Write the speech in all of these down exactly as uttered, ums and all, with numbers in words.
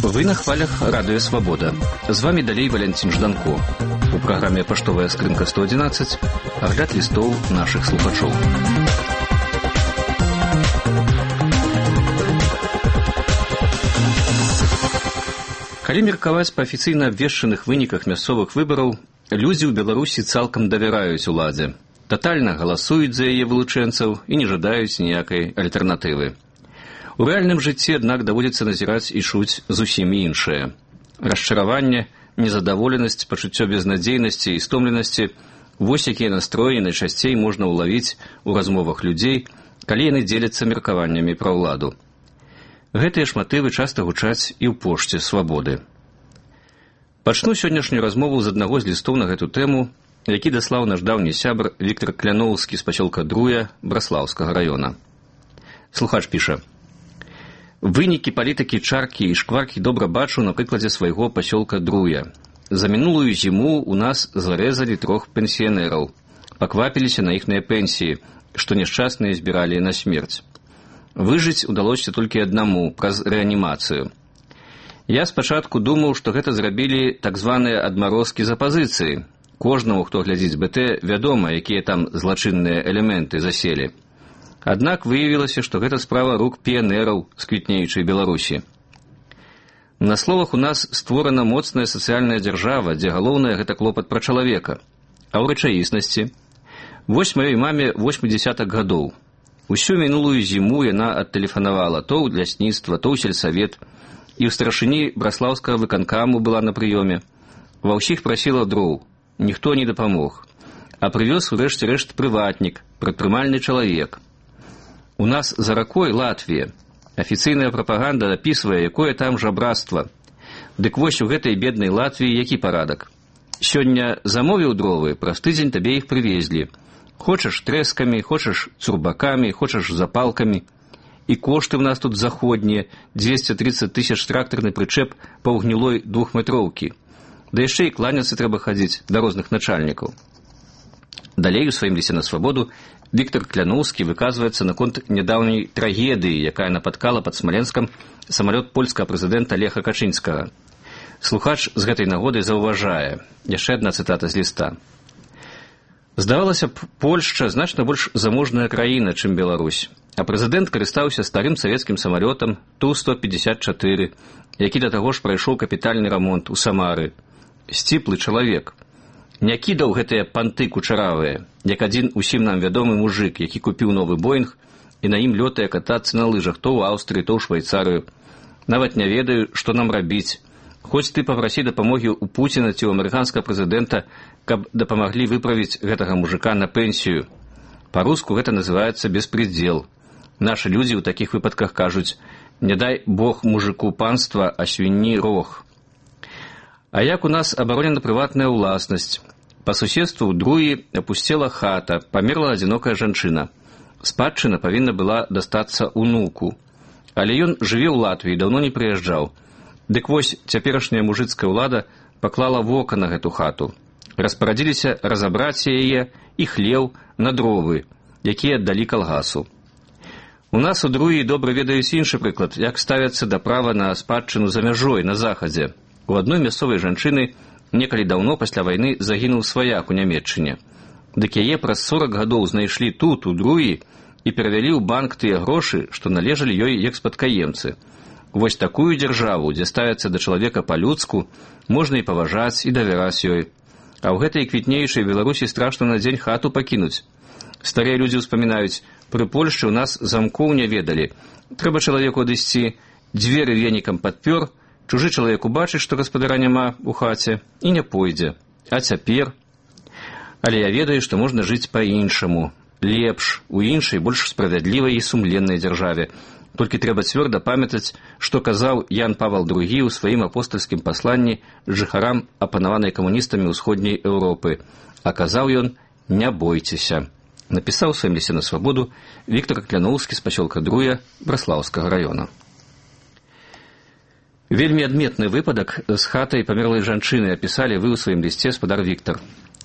Вы на хвалях радио «Свобода». З вами далей Валентин Жданко. У праграме «Паштовая скрынка сто одиннадцать» агляд лістоў нашых слухачоў. Калі меркаваць па афіцыйна абвешчаных выніках мясцовых выбараў, людзі ў Беларусі цалкам давяраюць уладзе, татальна галасуюць за яе вылучэнцаў і не жадаюць ніякай альтэрнатывы. У рэальным жыцці, аднак, даводзіцца назіраць і чуць зусім іншае. Расчараванне, незадаволенасць, пачуццё безнадзейнасці і стомленасці – вось якія настроі найчасцей можна ўлавіць у размовах людзей, калі яны дзеляцца меркаваннямі пра ўладу. Гэтыя ж матывы часта гучаць і ў пошце «Свабоды». Пачну сённяшнюю размову з аднаго з лістоў на гэту тэму, які даслаў наш даўні сябр Віктар Кляноўскі з пасёлка Друя Браслаўскага раёна. Слухач піша: «Вынікі палітыкі чаркі і шкваркі добра бачу на прыкладзе свайго пасёлка Друя. За мінулую зіму у нас зарэзалі трох пенсіянераў, паквапіліся на іхныя пенсіі, што няшчасныя збіралі на смерць. Выжыць удалося толькі аднаму праз рэанімацыю. Я спачатку думаў, што гэта зрабілі так званыя адмарозкі з апазіцыі. Кожнаму, хто глядзіць бэ тэ, вядома, якія там злачынныя элементы заселі. Аднак выявілася, што гэта справа рук піянераў з квітнеючай Беларусі. На словах у нас створана моцная сацыяльная дзяржава, дзе галоўнае гэта клопат пра чалавека. А ў рэчаіснасці? Вось маёй маме восьмідзесятак гадоў. Усю мінулую зіму яна адтэлефанавала то ў лясніцтва, то ў сельсавет, і ў старашыні браслаўскага выканкаму была на прыёме. Ва ўсіх прасіла дроў, ніхто не дапамог. А прывёз у рэшце рэшт прыватнік, прадпрымальны чалавек. У нас за ракой Латвія. Афіцыйная прапаганда апісвае, якое там жабрацтва. Дык вось у гэтай беднай Латвіі які парадак? Сёння замовіў дровы, праз тыдзень табе іх прывезлі. Хочаш трэскамі, хочаш цурбакамі, хочаш запалкамі. І кошты ў нас тут заходнія, дзвесце трыццаць тысяч трактарны прычэп паўгнілой двухметроўкі. Да яшчэ і кланяцца трэба хадзіць да розных начальнікаў». Далей у сваім лісце на свабоду Віктар Кляноўскі выказваецца наконт нядаўняй трагедыі, якая напаткала пад Смаленскам самалёт польскага прэзідэнта Леха Качынскага. Слухач з гэтай нагоды заўважае. Яшчэ адна цытата з ліста. «Здавалася б, Польшча значна больш заможная краіна, чым Беларусь, а прэзідэнт карыстаўся старым савецкім самалётам Ту сто пятьдесят четыре, які да таго ж прайшоў капітальны рамонт у Самары. Сціплы чалавек. Не кідаў гэтыя панты кучаравыя, як адзін усім нам вядомы мужык, які купіў новы Боінг і на ім лётае катацца на лыжах то ў Аўстрыі, то ў Швайцарыю. Нават не ведаю, што нам рабіць. Хоць ты папрасі дапамогі ў Пуціна ці ў амерыканскага прэзідэнта, каб дапамаглі выправіць гэтага мужыка на пенсію. Па-руску гэта называецца беспредзел. Нашы людзі ў такіх выпадках кажуць: не дай Бог мужыку панства, а свінні рог. А як у нас абаронена прыватная ўласнасць? Па суседству ў Друі апусцела хата, памерла адзінокая жанчына. Спадчына павінна была дастацца ўнуку. Але ён жыве ў Латвіі, даўно не прыязджаў. Дык вось цяперашняя мужыцкая ўлада паклала вока на гэту хату. Распарадзіліся разабраць яе і хлеў на дровы, якія аддалі калгасу. У нас у Друі добра ведаюць іншы прыклад, як ставяцца да права на спадчыну за мяжой на захадзе. У адной мясцовай жанчыны некалі даўно пасля вайны загінуў сваяк у Нямецчыне. Дык яе праз сорак гадоў знайшлі тут, у Друі, і перавялі ў банк тыя грошы, што належалі ёй як спадкаемцы. Вось такую дзяржаву, дзе ставяцца да чалавека па-людску, можна і паважаць, і давяраць ёй. А ў гэтай квітнеючай Беларусі страшна на дзень хату пакінуць. Старыя людзі ўспамінаюць: пры Польшчы ў нас замкоў не ведалі. Трэба чалавеку адысці, дзверы венікам падпёр, чужы чалавек убачыць, што гаспадара няма ў хаце, і не пойдзе. А цяпер? Але я ведаю, што можна жыць па-іншаму, лепш, у іншай, больш справядлівай і сумленнай дзяржаве. Толькі трэба цвёрда памятаць, што казаў Ян Павал другі ў сваім апостальскім пасланні жыхарам апанаванай камуністамі ўсходняй Еўропы. А казаў ён: не бойцеся. Напісаў у сваім лісце на свабоду Віктар Кляноўскі з пасёлка Друя Браслаўскага раёна. Вельмі адметны выпадак з хатай памерлай жанчыны апісалі вы ў сваім лісце, спадар Віктар.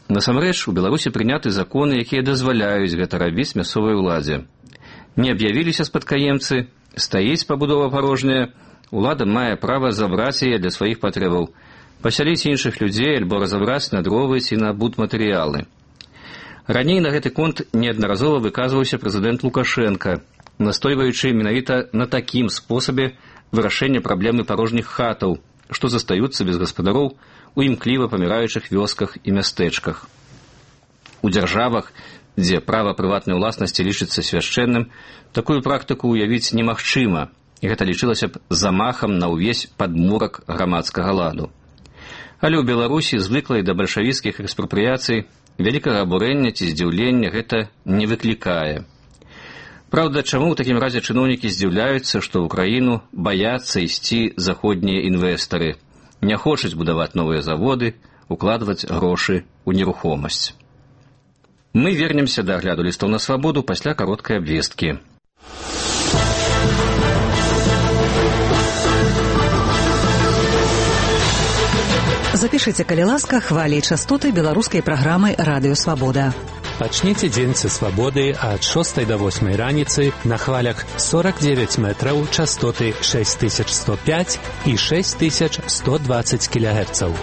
Насамрэч, у Беларусі прыняты законы, якія дазваляюць гэта рабіць мясцовай уладзе. Не аб'явіліся спадкаемцы, стаіць пабудова парожняя, улада мае права забраць яе для сваіх патрэбаў, пасяліць іншых людзей альбо разабраць на дровы ці на будматэрыялы. Раней на гэты конт неаднаразова выказваўся прэзідэнт Лукашенка, настойваючы менавіта на такім спосабе вырашэння праблемы парожніх хатаў, што застаюцца без гаспадароў у імкліва паміраючых вёсках і мястэчках. У дзяржавах, дзе права прыватнай уласнасці лічыцца свяшчэнным, такую практыку ўявіць немагчыма, і гэта лічылася б замахам на ўвесь падмурак грамадскага ладу. Але ў Беларусі, звыклай да бальшавіцкіх экспрапрыяцый, вялікага абурэння ці здзіўлення гэта не выклікае. Праўда, чаму ў такім разе чыноўнікі здзіўляюцца, што ў краіну баяцца ісці заходнія інвестары, не хочуць будаваць новыя заводы, укладваць грошы ў нерухомасць. Мы вернемся да агляду лістоў на свабоду пасля кароткай абвесткі. Запішыце, калі ласка, хвалі і частоты беларускай праграмы «Радыё Свабода». Пачніце дзень са свабоды ад шостай да восьмай раніцы на хвалях сорок девять метраў, частоты шесть тысяч сто пять і шесть тысяч сто двадцать кілогерцаў.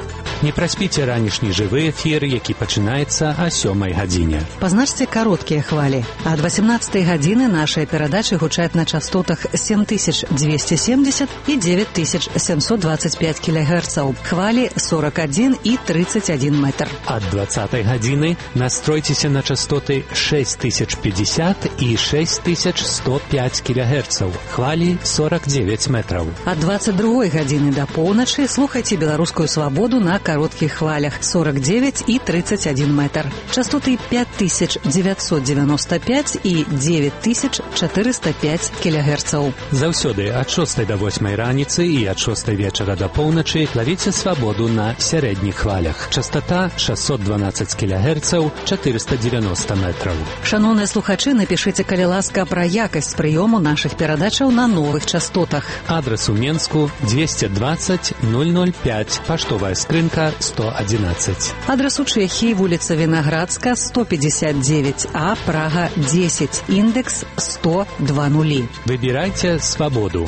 Не праспіце ранішні жывы эфір, які пачынаецца о сёмай гадзіне. Пазначце кароткія хвалі. Ад восемнадцатай гадзіны нашыя перадачы гучаць на частотах семь тысяч двести семьдесят і девять тысяч семьсот двадцать пять кілогерцаў. Хвалі сорок один і тридцать один метр. Ад двадцатай гадзіны настройцеся на частоты шесть тысяч пятьдесят і шесть тысяч сто пять кілогерцаў. Хвалі сорок девять метраў. Ад двадцать другой гадзіны да поўначы слухайце беларускую свабоду на кароткіх хвалях сорок девять і тридцать один метр. Частоты пять тысяч девятьсот девяносто пять і девять тысяч четыреста пять кілогерцаў. Заўсёды ад шостай да восьмай раніцы і ад шостай вечара да поўначы лавіце свабоду на сярэдніх хвалях. Частота шестьсот двенадцать кілогерцаў, четыреста девяносто метраў. Шановныя слухачы, напішыце, калі ласка, пра якасць прыёму нашых перадачаў на новых частотах. Адрес у Менску двести двадцать ноль ноль пять, паштовая скрынка сто одиннадцать. Адрес у Чэхіі, вуліца Вінаградска, сто пятьдесят девять А, Прага десять, індекс сто два нулі. Выбирайте свободу.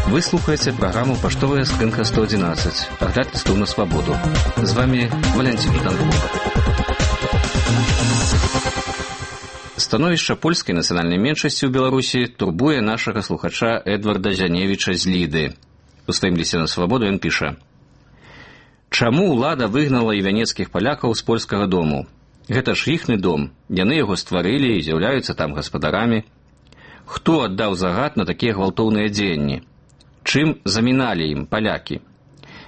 Вы слухаете программу «Поштовая скрынка сто одиннадцать». Огляд листов на свободу. С вами Валентин Жданков. Становішча польскай нацыянальнай меншасці ў Беларусі турбуе нашага слухача Эдварда Зяневіча з Ліды. У сваім лісце на свабоду ён піша: «Чаму ўлада выгнала і вянецкіх палякаў з польскага дому? Гэта ж іхны дом, яны яго стварылі і з'яўляюцца там гаспадарамі. Хто аддаў загад на такія гвалтоўныя дзеянні? Чым заміналі ім палякі?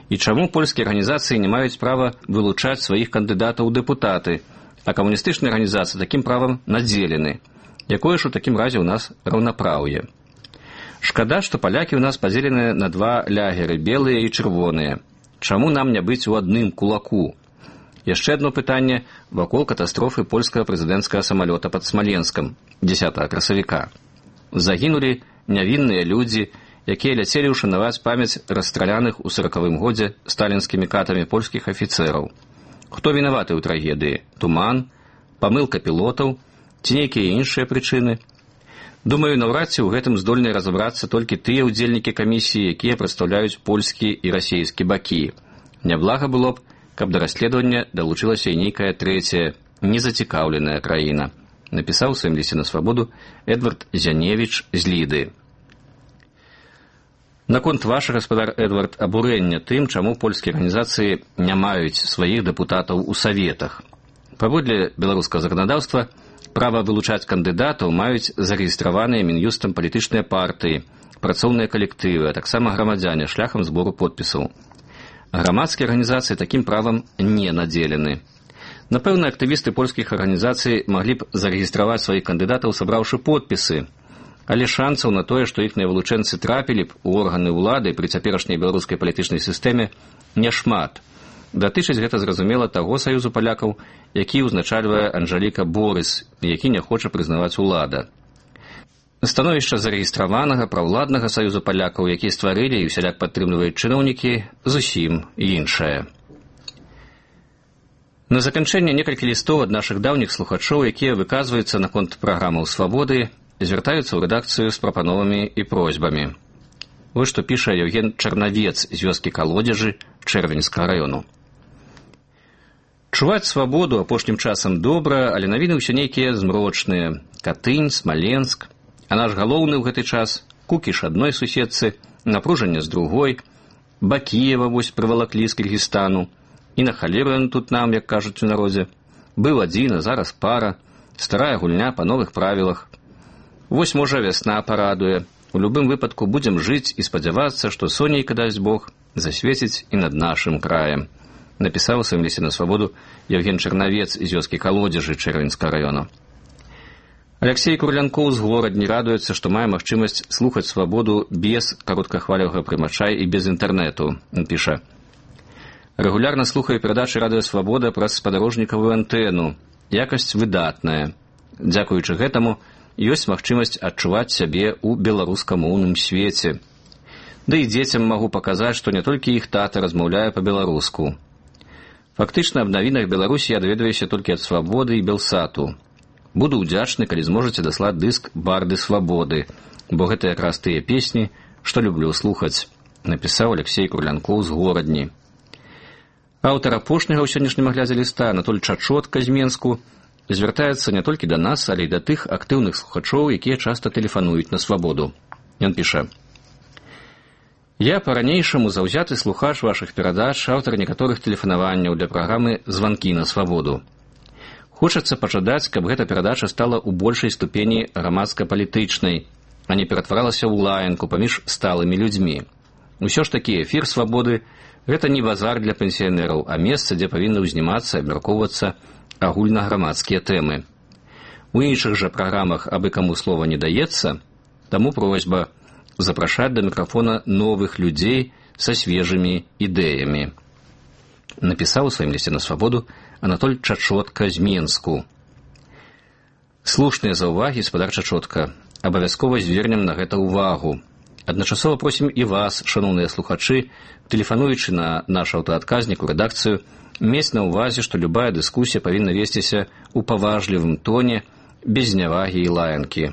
І чаму польскія арганізацыі не маюць права вылучаць сваіх кандыдатаў у дэпутаты, а камуністычныя арганізацыі такім правам надзелены? Якое ж у такім разе ў нас раўнапраўе? Шкада, што палякі ў нас падзелены на два лягеры, белыя і чырвоныя. Чаму нам не быць у адным кулаку? Яшчэ адно пытанне вакол катастрофы польскага прэзідэнцкага самалёта пад Смаленскам дзесятага красавіка. Загінулі нявінныя людзі, якія ляцелі ўшанаваць памяць расстраляных у сорокавым годзе сталінскімі катамі польскіх афіцэраў. Хто вінаваты ў трагедыі? Туман, памылка пілотаў ці нейкія іншыя прычыны? Думаю, наўрад ці ў гэтым здольны разабрацца толькі тыя ўдзельнікі камісіі, якія прадстаўляюць польскі і расійскі бакі. Няблага было б, каб да расследавання далучылася і нейкая трэцяя, незацікаўленая краіна, напісаў у сваім лісце на свабоду Эдвард Зяневіч з Ліды. Наконт ваша, гаспадар Эдвард, абурэння тым, чаму польскія арганізацыі не маюць сваіх дэпутатаў у саветах. Паводле беларускага заканадаўства, права вылучаць кандыдатаў маюць зарэгістраваныя Мін'юстам палітычныя партыі, працоўныя калектывы, а таксама грамадзяне шляхам збору подпісаў. Грамадскія арганізацыі такім правам не надзелены. Напэўна, актывісты польскіх арганізацый маглі б зарэгістраваць сваіх кандыдатаў, сабраўшы подпісы, але шансаў на тое, што іхныя вылучэнцы трапілі б у органы ўлады пры цяперашняй беларускай палітычнай сістэме, няшмат. Датычыць гэта зразумела таго саюзу палякаў, які ўзначальвае Анжаліка Борыс, які не хоча прызнаваць улада. Становішча зарэгістраванага праўладнага саюзу палякаў, які стварылі і ўсяляк падтрымліваюць чыноўнікі, зусім іншае. На заканчэнне некалькі лістоў ад нашых даўніх слухачоў, якія выказваюцца наконт праграмаў свабоды, звяртаюцца ў рэдакцыю з прапановамі і просьбамі. Вось што піша Евген Чарнавец з вёскі Калодзежы Чэрвеньскага раёну. Чуваць свабоду апошнім часам добра, але навіны ўсё нейкія змрочныя. Катынь, Смаленск. А наш галоўны ў гэты час — Кукіш адной суседцы, напружанне з другой, Бакіева вось прывалаклі з Кіргізстану. І на халеру ён тут нам, як кажуць у народзе. Быў адзін, а зараз пара. Старая гульня па новых правілах. Вось, можа, вясна парадуе. У любым выпадку будзем жыць і спадзявацца, што сонейка, дасць Бог, засвеціць і над нашым краем. Напісаў у сваім лісце на свабоду Евген Чарнавец з вёскі Калодзежы Чэрвеньскага раёна. Алексей Курлянкоў з Горадні радуецца, што мае магчымасць слухаць свабоду без кароткахвалевага прымача і без інтэрнэту. Ён піша: «Рэгулярна слухаю перадачы «Радыё Свабода» праз спадарожнікавую антэну. Якасць выдатная. Дзякуючы гэтаму ёсць магчымасць адчуваць сябе ў беларускамоўным свеце. Да і дзецям магу паказаць, што не толькі іх тата размаўляе па-беларуску. Фактычна аб навінах Беларусі я даведваюся толькі ад Свабоды і Белсату. Буду ўдзячны, калі зможаце даслаць дыск «Барды Свабоды», бо гэта якраз тыя песні, што люблю слухаць», напісаў Алексей Курлянкоў з Горадні. Аўтар апошняга ў сённяшнім аглядзе ліста, Анатоль Чачотка з Менску, звяртаецца не толькі да нас, але і да тых актыўных слухачоў, якія часта тэлефануюць на свабоду. Ён піша: «Я па-ранейшаму заўзяты слухач вашых перадач, аўтар некаторых тэлефанаванняў для праграмы «Званкі на свабоду». Хочацца пажадаць, каб гэта перадача стала ў большай ступені грамадска-палітычнай, а не ператваралася ў лаянку паміж сталымі людзьмі. Усё ж такі эфір свабоды — гэта не базар для пенсіянераў, а месца, дзе павінны ўзнімацца і абмяркоўвацца агульнаграмадскія тэмы. У іншых жа праграмах абы каму слова не даецца, таму просьба запрашаць да мікрафона новых людзей са свежымі ідэямі», напісаў у сваім лісце на свабоду Анатоль Чачотка з Менску. Слушныя заўвагі, спадар Чачотка. Абавязкова звернем на гэта ўвагу. Адначасова просім і вас, шаноўныя слухачы, тэлефануючы на наш аўтаадказнік у рэдакцыю, мець на ўвазе, што любая дыскусія павінна весціся ў паважлівым тоне, без знявагі і лаянкі.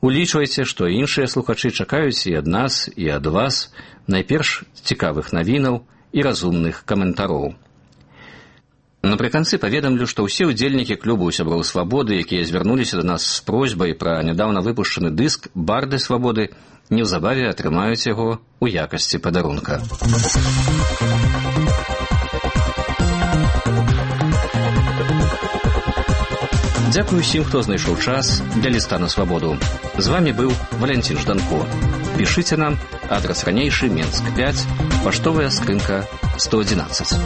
Улічвайце, што іншыя слухачы чакаюць і ад нас, і ад вас найперш цікавых навінаў і разумных каментароў. Напрыканцы паведамлю, што ўсе ўдзельнікі клубу сяброў свабоды, якія звярнуліся да нас з просьбай пра нядаўна выпушчаны дыск «Барды Свабоды», неўзабаве атрымаюць яго ў якасці падарунка. Дзякую усім, хто знайшоў час для ліста на свабоду. З вамі быў Валянцін Жданко. Пішыце нам, адрас ранейшы, Менск пяць, паштовая скрынка сто адзінаццаць.